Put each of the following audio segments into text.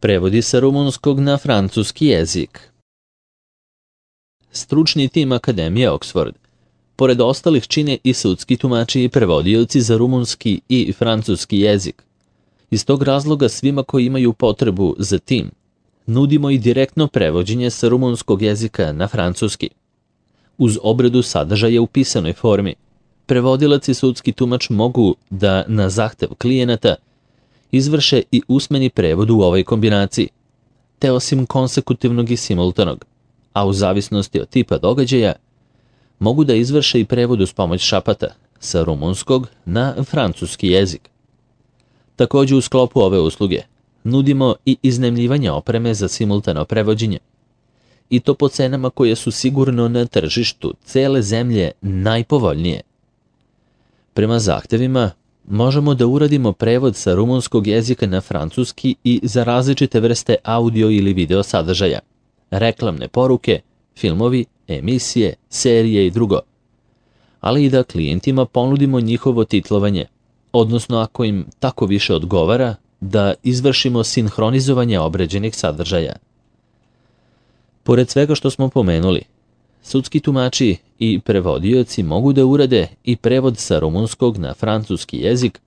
Prevodi sa rumunskog na francuski jezik. Stručni tim Akademije Oxford, pored ostalih, čine i sudski tumači i prevodioci za rumunski i francuski jezik. Iz tog razloga svima koji imaju potrebu za tim, nudimo i direktno prevođenje sa rumunskog jezika na francuski. Uz obradu sadržaja u pisanoj formi, prevodilac i sudski tumač mogu da na zahtev klijenata izvrše i usmeni prevod u ovoj kombinaciji, te osim konsekutivnog i simultanog, a u zavisnosti od tipa događaja, mogu da izvrše i prevod uz pomoć šapata sa rumunskog na francuski jezik. Također u sklopu ove usluge nudimo i iznajmljivanje opreme za simultano prevođenje, i to po cenama koje su sigurno na tržištu cele zemlje najpovoljnije. Prema zahtevima možemo da uradimo prevod sa rumunskog jezika na francuski i za različite vrste audio ili video sadržaja, reklamne poruke, filmovi, emisije, serije i drugo, ali i da klijentima ponudimo njihovo titlovanje, odnosno ako im tako više odgovara, da izvršimo sinhronizovanje obrađenih sadržaja. Pored svega što smo pomenuli, sudski tumači i prevodioci mogu da urade i prevod sa rumunskog na francuski jezik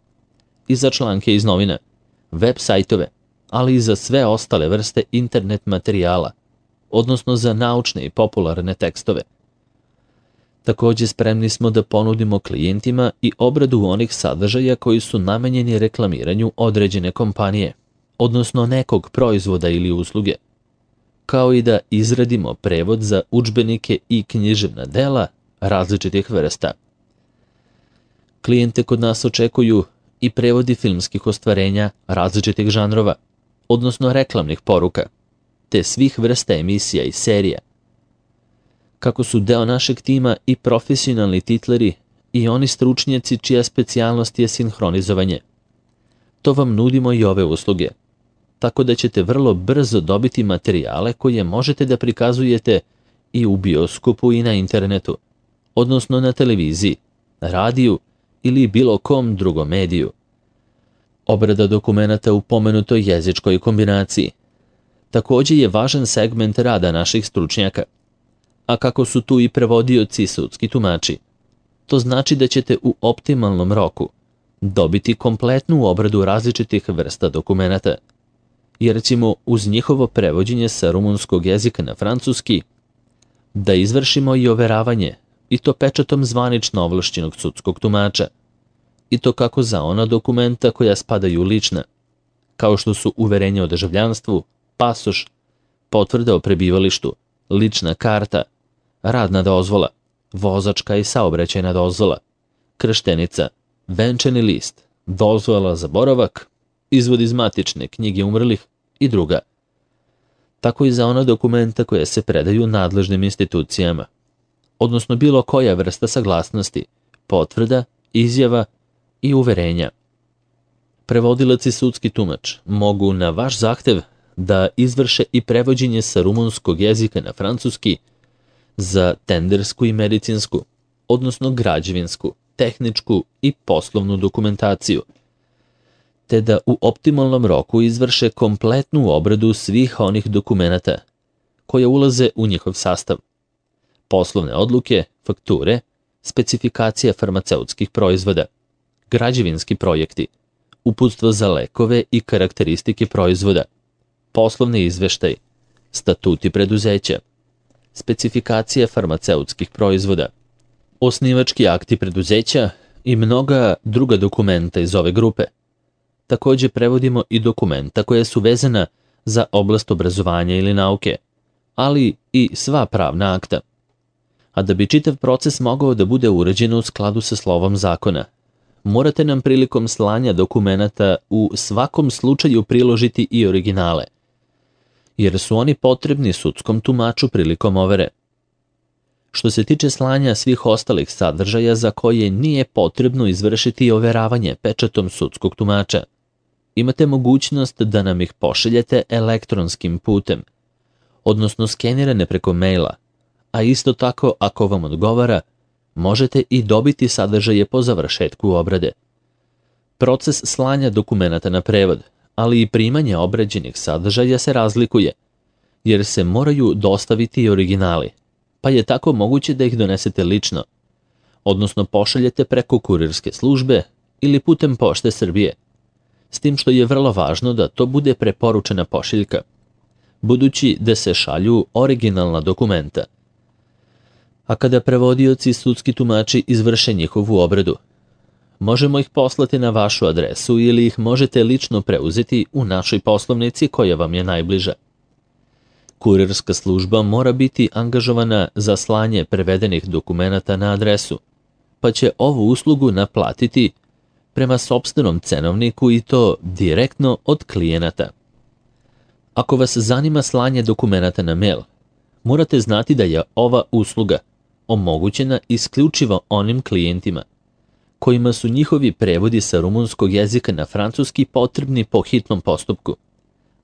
i za članke iz novina, web sajtove, ali i za sve ostale vrste internet materijala, odnosno za naučne i popularne tekstove. Također spremni smo da ponudimo klijentima i obradu onih sadržaja koji su namenjeni reklamiranju određene kompanije, odnosno nekog proizvoda ili usluge, kao i da izradimo prevod za udžbenike i književna dela različitih vrsta. Klijente kod nas očekuju i prevodi filmskih ostvarenja različitih žanrova, odnosno reklamnih poruka, te svih vrsta emisija i serija. Kako su deo našeg tima i profesionalni titleri i oni stručnjaci čija specijalnost je sinhronizovanje, to vam nudimo i ove usluge, tako da ćete vrlo brzo dobiti materijale koje možete da prikazujete i u bioskopu i na internetu, odnosno na televiziji, radiju ili bilo kom drugom mediju. Obrada dokumenata u pomenutoj jezičkoj kombinaciji također je važan segment rada naših stručnjaka, a kako su tu i prevodioci i sudski tumači, to znači da ćete u optimalnom roku dobiti kompletnu obradu različitih vrsta dokumenata, jer ćemo uz njihovo prevođenje sa rumunskog jezika na francuski da izvršimo i overavanje, i to pečatom zvanično ovlašćenog sudskog tumača, i to kako za ona dokumenta koja spadaju u lična, kao što su uverenje o državljanstvu, pasoš, potvrda o prebivalištu, lična karta, radna dozvola, vozačka i saobraćajna dozvola, krštenica, venčani list, dozvola za boravak, izvod iz matične knjige umrlih i druga. Tako i za ona dokumenta koja se predaju nadležnim institucijama, odnosno bilo koja vrsta saglasnosti, potvrda, izjava i uverenja. Prevodilac i sudski tumač mogu na vaš zahtev da izvrše i prevođenje sa rumunskog jezika na francuski za tendersku i medicinsku, odnosno građevinsku, tehničku i poslovnu dokumentaciju, te da u optimalnom roku izvrše kompletnu obradu svih onih dokumenata koje ulaze u njihov sastav. Poslovne odluke, fakture, specifikacija farmaceutskih proizvoda, građevinski projekti, uputstvo za lekove i karakteristike proizvoda, poslovni izveštaj, statuti preduzeća, specifikacija farmaceutskih proizvoda, osnivački akti preduzeća i mnoga druga dokumenta iz ove grupe. Također prevodimo i dokumenta koja su vezana za oblast obrazovanja ili nauke, ali i sva pravna akta. A da bi čitav proces mogao da bude urađen u skladu sa slovom zakona, morate nam prilikom slanja dokumenata u svakom slučaju priložiti i originale, jer su oni potrebni sudskom tumaču prilikom overe. Što se tiče slanja svih ostalih sadržaja za koje nije potrebno izvršiti overavanje pečatom sudskog tumača, imate mogućnost da nam ih pošaljete elektronskim putem, odnosno skenirane preko maila, a isto tako, ako vam odgovara, možete i dobiti sadržaje po završetku obrade. Proces slanja dokumenata na prevod ali i primanje obrađenih sadržaja se razlikuje, jer se moraju dostaviti i originali, pa je tako moguće da ih donesete lično, odnosno pošaljete preko kurirske službe ili putem Pošte Srbije, s tim što je vrlo važno da to bude preporučena pošiljka, budući da se šalju originalna dokumenta. A kada prevodioci i sudski tumači izvrše njihovu obradu, možemo ih poslati na vašu adresu ili ih možete lično preuzeti u našoj poslovnici koja vam je najbliža. Kurirska služba mora biti angažovana za slanje prevedenih dokumenata na adresu, pa će ovu uslugu naplatiti prema sopstvenom cenovniku i to direktno od klijenata. Ako vas zanima slanje dokumenata na mail, morate znati da je ova usluga omogućena isključivo onim klijentima kojima su njihovi prevodi sa rumunskog jezika na francuski potrebni po hitnom postupku,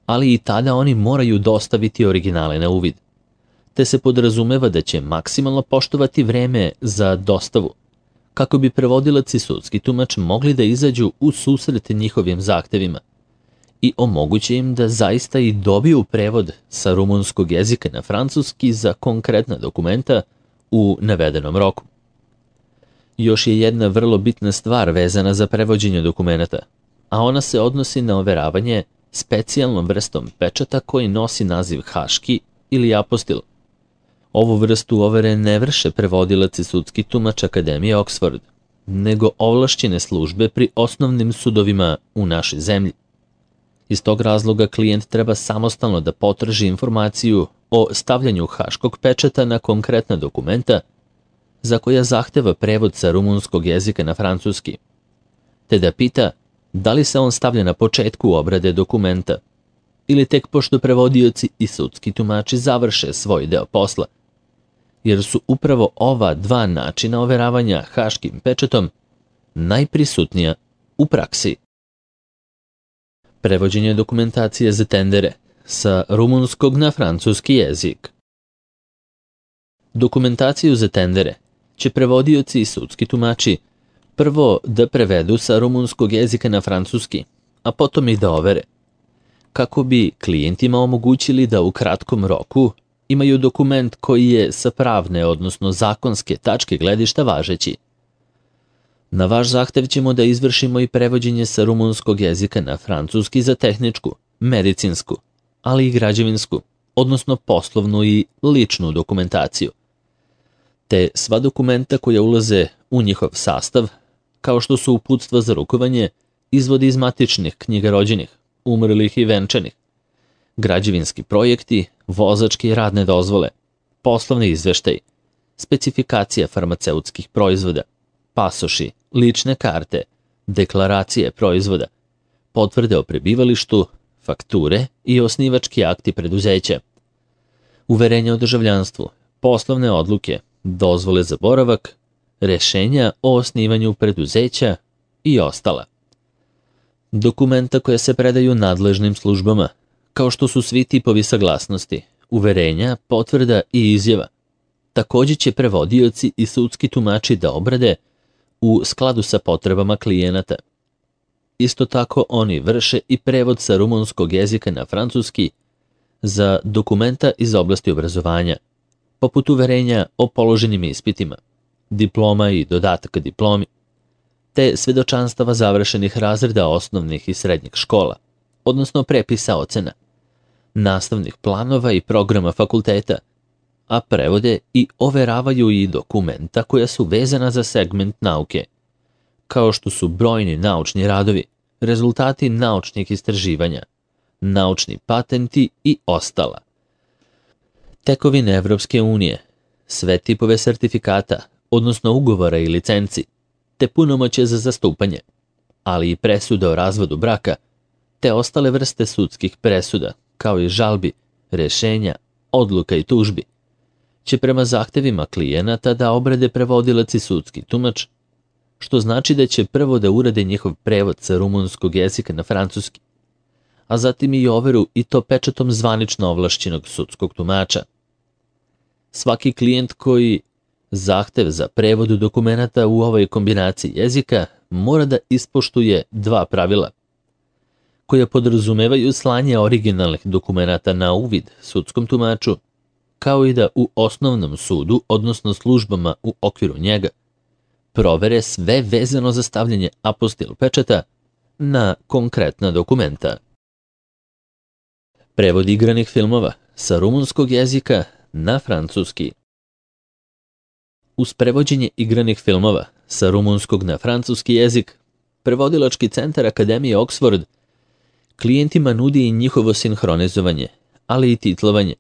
ali i tada oni moraju dostaviti originale na uvid, te se podrazumeva da će maksimalno poštovati vreme za dostavu, kako bi prevodilac i sudski tumač mogli da izađu u susret njihovim zahtevima i omoguće im da zaista i dobiju prevod sa rumunskog jezika na francuski za konkretna dokumenta u navedenom roku. Još je jedna vrlo bitna stvar vezana za prevođenje dokumenata, a ona se odnosi na overavanje specijalnom vrstom pečata koji nosi naziv haški ili apostil. Ovu vrstu overe ne vrše prevodilac i sudski tumač Akademije Oxford, nego ovlašćene službe pri osnovnim sudovima u našoj zemlji. Iz tog razloga klijent treba samostalno da potraži informaciju o stavljanju haškog pečata na konkretna dokumenta za koja zahteva prevod sa rumunskog jezika na francuski, te da pita da li se on stavlja na početku obrade dokumenta ili tek pošto prevodioci i sudski tumači završe svoj deo posla, jer su upravo ova dva načina overavanja haškim pečatom najprisutnija u praksi. Prevođenje dokumentacije za tendere sa rumunskog na francuski jezik. Dokumentaciju za tendere će prevodioci i sudski tumači prvo da prevedu sa rumunskog jezika na francuski, a potom i da overe, kako bi klijentima omogućili da u kratkom roku imaju dokument koji je sa pravne, odnosno zakonske tačke gledišta važeći. Na vaš zahtev ćemo da izvršimo i prevođenje sa rumunskog jezika na francuski za tehničku, medicinsku, ali i građevinsku, odnosno poslovnu i ličnu dokumentaciju, te sva dokumenta koja ulaze u njihov sastav, kao što su uputstva za rukovanje, izvodi iz matičnih knjiga rođenih, umrlih i venčanih, građevinski projekti, vozačke i radne dozvole, poslovni izveštaj, specifikacija farmaceutskih proizvoda, pasoši, lične karte, deklaracije proizvoda, potvrde o prebivalištu, fakture i osnivački akti preduzeća, uverenja o državljanstvu, poslovne odluke, dozvole za boravak, rešenja o osnivanju preduzeća i ostala. Dokumenta koja se predaju nadležnim službama, kao što su svi tipovi saglasnosti, uverenja, potvrda i izjava, također će prevodioci i sudski tumači da obrade u skladu sa potrebama klijenata. Isto tako oni vrše i prevod sa rumunskog jezika na francuski za dokumenta iz oblasti obrazovanja, poput uverenja o položenim ispitima, diploma i dodataka diplomi, te svedočanstava završenih razreda osnovnih i srednjih škola, odnosno prepisa ocena, nastavnih planova i programa fakulteta, a prevode i overavaju i dokumenta koja su vezana za segment nauke, kao što su brojni naučni radovi, rezultati naučnih istraživanja, naučni patenti i ostala. Tekovine Evropske unije, sve tipove sertifikata, odnosno ugovora i licenci, te punomoće za zastupanje, ali i presude o razvodu braka, te ostale vrste sudskih presuda, kao i žalbi, rešenja, odluka i tužbi, će prema zahtevima klijenata da obrade prevodilac i sudski tumač, što znači da će prvo da urade njihov prevod sa rumunskog jezika na francuski, a zatim i overu i to pečatom zvanično ovlašćenog sudskog tumača. Svaki klijent koji zahtev za prevod dokumenata u ovoj kombinaciji jezika mora da ispoštuje dva pravila. koja podrazumevaju slanje originalnih dokumenata na uvid sudskom tumaču, kao i da u osnovnom sudu, odnosno službama u okviru njega, provere sve vezano za stavljanje apostil pečata na konkretna dokumenta. Prevod igranih filmova sa rumunskog jezika na francuski. Uz prevođenje igranih filmova sa rumunskog na francuski jezik, prevodilački centar Akademije Oxford klijentima nudi i njihovo sinhronizovanje, ali i titlovanje.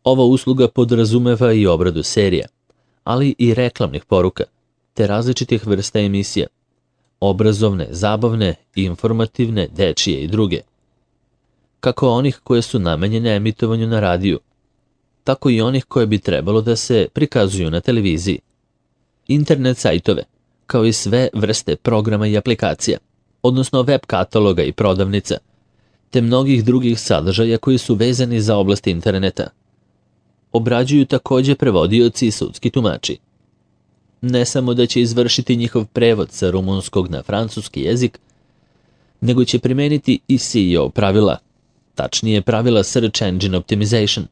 Ova usluga podrazumeva i obradu serija, ali i reklamnih poruka, te različitih vrsta emisija, obrazovne, zabavne, informativne, dečije i druge, kako onih koje su namenjene emitovanju na radiju, tako i onih koje bi trebalo da se prikazuju na televiziji, internet sajtove, kao i sve vrste programa i aplikacija, odnosno web kataloga i prodavnica, te mnogih drugih sadržaja koji su vezani za oblast interneta. Obrađuju takođe prevodioci i sudski tumači. Ne samo da će izvršiti njihov prevod sa rumunskog na francuski jezik, nego će primeniti i SEO pravila, tačnije pravila Search Engine Optimization,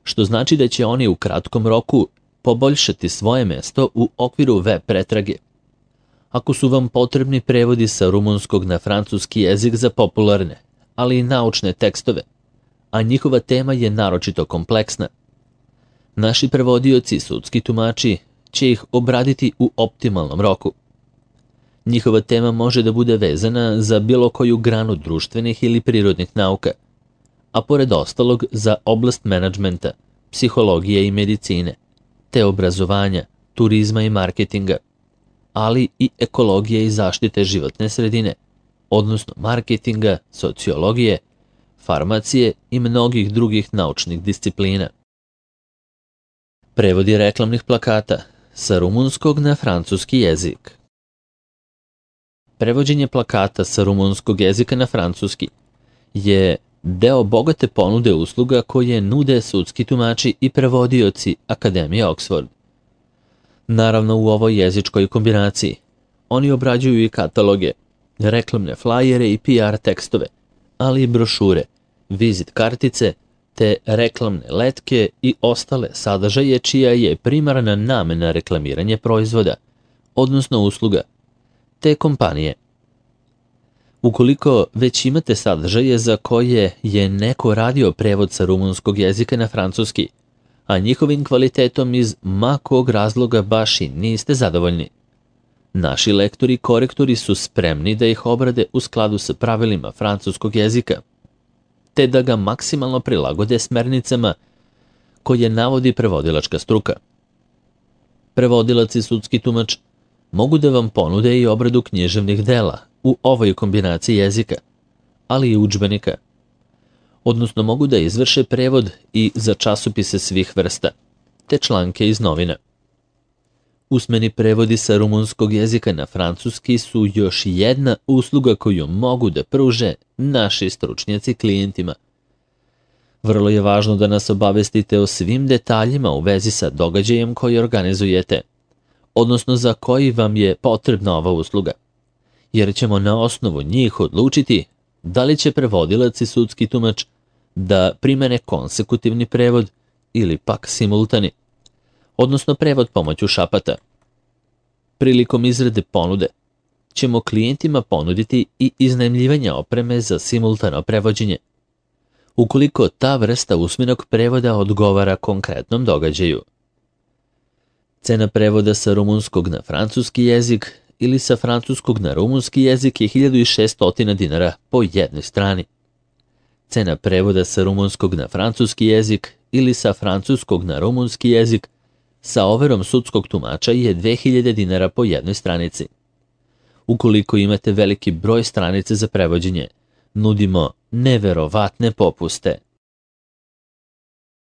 što znači da će oni u kratkom roku poboljšati svoje mesto u okviru web pretrage. Ako su vam potrebni prevodi sa rumunskog na francuski jezik za popularne, ali i naučne tekstove, a njihova tema je naročito kompleksna, naši prevodioci i sudski tumači će ih obraditi u optimalnom roku. Njihova tema može da bude vezana za bilo koju granu društvenih ili prirodnih nauka, a pored ostalog za oblast menadžmenta, psihologije i medicine, te obrazovanja, turizma i marketinga, ali i ekologije i zaštite životne sredine, odnosno marketinga, sociologije, farmacije i mnogih drugih naučnih disciplina. Prevodi reklamnih plakata sa rumunskog na francuski jezik. Prevođenje plakata sa rumunskog jezika na francuski je deo bogate ponude usluga koje nude sudski tumači i prevodioci Akademije Oxford. Naravno, u ovoj jezičkoj kombinaciji oni obrađuju i kataloge, reklamne flajere i PR tekstove, ali i brošure, vizit kartice, te reklamne letke i ostale sadržaje čija je primarna namena reklamiranje proizvoda, odnosno usluga, te kompanije. Ukoliko već imate sadržaje za koje je neko radio prevod sa rumunskog jezika na francuski, a njihovim kvalitetom iz ma kog razloga baš i niste zadovoljni, naši lektori i korektori su spremni da ih obrade u skladu sa pravilima francuskog jezika, te da ga maksimalno prilagode smernicama koje navodi prevodilačka struka. Prevodilac i sudski tumač mogu da vam ponude i obradu književnih dela u ovoj kombinaciji jezika, ali i udžbenika, odnosno mogu da izvrše prevod i za časopise svih vrsta, te članke iz novina. Usmeni prevodi sa rumunskog jezika na francuski su još jedna usluga koju mogu da pruže naši stručnjaci klijentima. Vrlo je važno da nas obavestite o svim detaljima u vezi sa događajem koji organizujete, odnosno za koji vam je potrebna ova usluga, jer ćemo na osnovu njih odlučiti da li će prevodilac i sudski tumač da primene konsekutivni prevod ili pak simultani, odnosno prevod pomoću šapata. Prilikom izrade ponude ćemo klijentima ponuditi i iznajmljivanje opreme za simultano prevođenje, ukoliko ta vrsta usmenog prevoda odgovara konkretnom događaju. Cena prevoda sa rumunskog na francuski jezik ili sa francuskog na rumunski jezik je 1600 dinara po jednoj strani. Cena prevoda sa rumunskog na francuski jezik ili sa francuskog na rumunski jezik sa overom sudskog tumača je 2000 dinara po jednoj stranici. Ukoliko imate veliki broj stranice za prevođenje, nudimo neverovatne popuste.